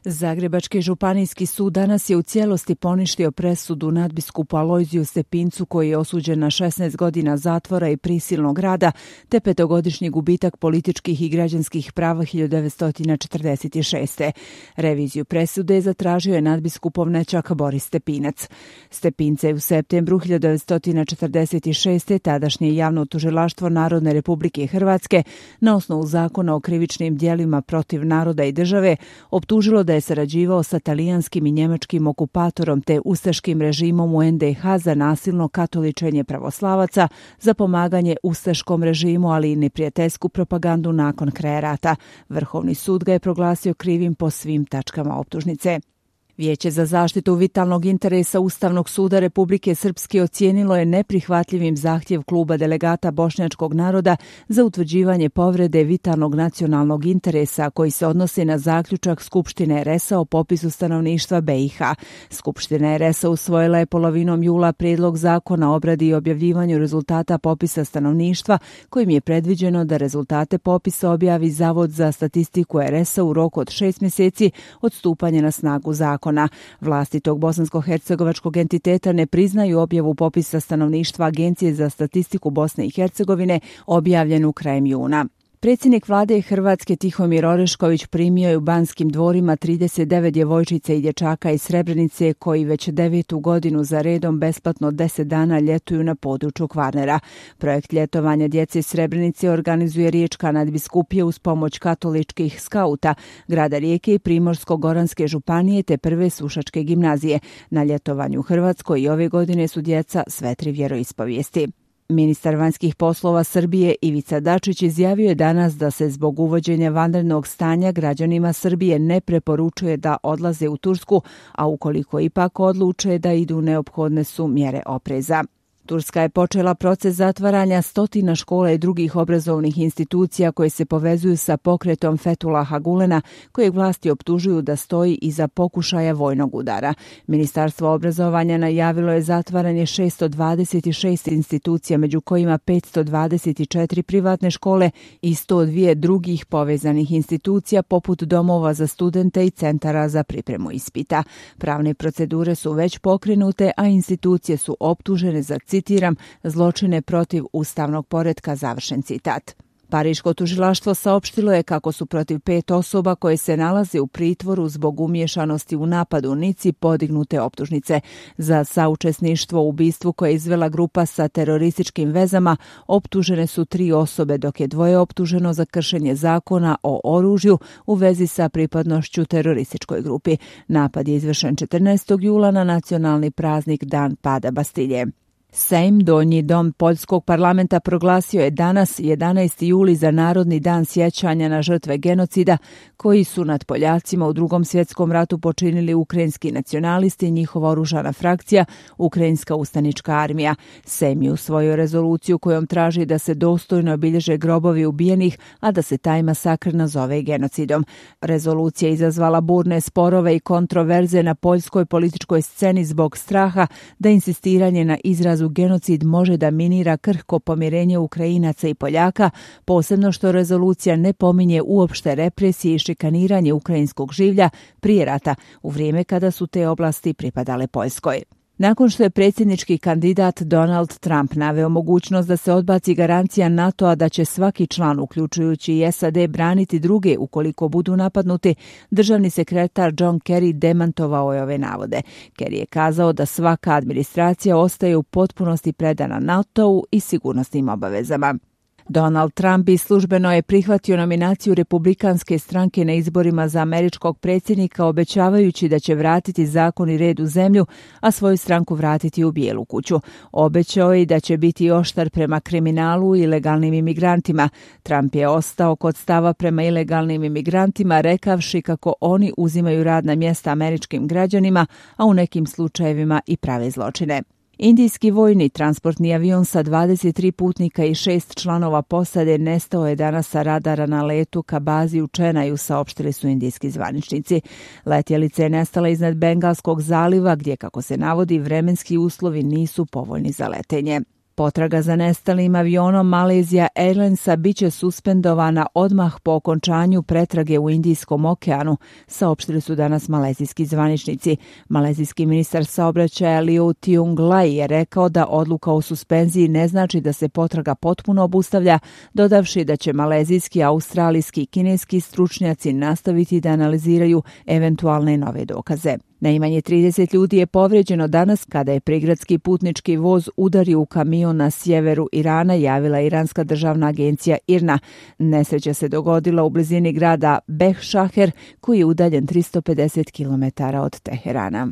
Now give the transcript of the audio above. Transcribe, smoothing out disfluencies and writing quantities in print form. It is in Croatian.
Zagrebački županijski sud danas je u cijelosti poništio presudu nadbiskupu Alojziju Stepincu koji je osuđen na 16 godina zatvora i prisilnog rada te 5-godišnji gubitak političkih i građanskih prava 1946. Reviziju presude zatražio je nadbiskupov nećak Boris Stepinac. Stepinca je u septembru 1946. tadašnje javno tužilaštvo Narodne Republike Hrvatske na osnovu zakona o krivičnim djelima protiv naroda i države optužilo da je sarađivao sa talijanskim i njemačkim okupatorom te ustaškim režimom u NDH za nasilno katoličenje pravoslavaca, za pomaganje ustaškom režimu, ali i neprijateljsku propagandu nakon kraja rata. Vrhovni sud ga je proglasio krivim po svim tačkama optužnice. Vijeće za zaštitu vitalnog interesa Ustavnog suda Republike Srpske ocijenilo je neprihvatljivim zahtjev kluba delegata bošnjačkog naroda za utvrđivanje povrede vitalnog nacionalnog interesa koji se odnosi na zaključak Skupštine RS-a o popisu stanovništva BiH. Skupština RS-a usvojila je polovinom jula prijedlog zakona o obradi i objavljivanju rezultata popisa stanovništva kojim je predviđeno da rezultate popisa objavi Zavod za statistiku RS-a u roku od 6 mjeseci od stupanja na snagu zakona. Vlasti tog bosansko-hercegovačkog entiteta ne priznaju objavu popisa stanovništva Agencije za statistiku Bosne i Hercegovine objavljenu krajem juna. Predsjednik vlade Hrvatske Tihomir Orešković primio je u Banskim dvorima 39 djevojčica i dječaka iz Srebrenice koji već 9. godinu za redom besplatno 10 dana ljetuju na području Kvarnera. Projekt ljetovanja djece iz Srebrenice organizuje Riječka nadbiskupija uz pomoć katoličkih skauta, grada Rijeke i Primorsko-goranske županije te Prve Sušačke gimnazije. Na ljetovanju u Hrvatskoj i ove godine su djeca sve 3 vjeroispovijesti. Ministar vanjskih poslova Srbije Ivica Dačić izjavio je danas da se zbog uvođenja vanrednog stanja građanima Srbije ne preporučuje da odlaze u Tursku, a ukoliko ipak odluče da idu neophodne su mjere opreza. Turska je počela proces zatvaranja stotina škola i drugih obrazovnih institucija koje se povezuju sa pokretom Fethullaha Gulena, kojeg vlasti optužuju da stoji iza pokušaja vojnog udara. Ministarstvo obrazovanja najavilo je zatvaranje 626 institucija, među kojima 524 privatne škole i 102 drugih povezanih institucija poput domova za studente i centara za pripremu ispita. Pravne procedure su već pokrenute, a institucije su optužene za, citiram, zločine protiv ustavnog poretka, završen citat. Pariško tužilaštvo saopštilo je kako su protiv 5 osoba koje se nalaze u pritvoru zbog umiješanosti u napadu u Nici podignute optužnice. Za saučesništvo u ubistvu koje je izvela grupa sa terorističkim vezama optužene su 3 osobe, dok je 2 optuženo za kršenje zakona o oružju u vezi sa pripadnošću terorističkoj grupi. Napad je izvršen 14. jula na nacionalni praznik Dan pada Bastilje. Sejm, donji dom Poljskog parlamenta, proglasio je danas 11. juli za Narodni dan sjećanja na žrtve genocida koji su nad Poljacima u Drugom svjetskom ratu počinili ukrajinski nacionalisti i njihova oružana frakcija, Ukrajinska ustanička armija. Sejm je usvojio rezoluciju kojom traži da se dostojno obilježe grobovi ubijenih, a da se taj masakr nazove genocidom. Rezolucija je izazvala burne sporove i kontroverze na poljskoj političkoj sceni zbog straha da insistiranje na izrazu genocid može da minira krhko pomirenje Ukrajinaca i Poljaka, posebno što rezolucija ne pominje uopšte represije i šikaniranje ukrajinskog življa prije rata, u vrijeme kada su te oblasti pripadale Poljskoj. Nakon što je predsjednički kandidat Donald Trump naveo mogućnost da se odbaci garancija NATO-a da će svaki član, uključujući i SAD, braniti druge ukoliko budu napadnuti, državni sekretar John Kerry demantovao je ove navode. Kerry je kazao da svaka administracija ostaje u potpunosti predana NATO-u i sigurnosnim obavezama. Donald Trump službeno je prihvatio nominaciju Republikanske stranke na izborima za američkog predsjednika, obećavajući da će vratiti zakon i red u zemlju, a svoju stranku vratiti u Bijelu kuću. Obećao je da će biti oštar prema kriminalu i ilegalnim imigrantima. Trump je ostao kod stava prema ilegalnim imigrantima, rekavši kako oni uzimaju radna mjesta američkim građanima, a u nekim slučajevima i prave zločine. Indijski vojni transportni avion sa 23 putnika i 6 članova posade nestao je danas sa radara na letu ka bazi u Čenaju, saopštili su indijski zvaničnici. Letjelica je nestala iznad Bengalskog zaliva gdje, kako se navodi, vremenski uslovi nisu povoljni za letenje. Potraga za nestalim avionom Malaysia Airlinesa biće suspendovana odmah po okončanju pretrage u Indijskom okeanu, saopštili su danas malezijski zvaničnici. Malezijski ministar saobraćaja Liu Tiong Lai je rekao da odluka o suspenziji ne znači da se potraga potpuno obustavlja, dodavši da će malezijski, australijski i kineski stručnjaci nastaviti da analiziraju eventualne nove dokaze. Najmanje 30 ljudi je povrijeđeno danas kada je prigradski putnički voz udario u kamion na sjeveru Irana, javila iranska državna agencija IRNA. Nesreća se dogodila u blizini grada Behšaher, koji je udaljen 350 km od Teherana.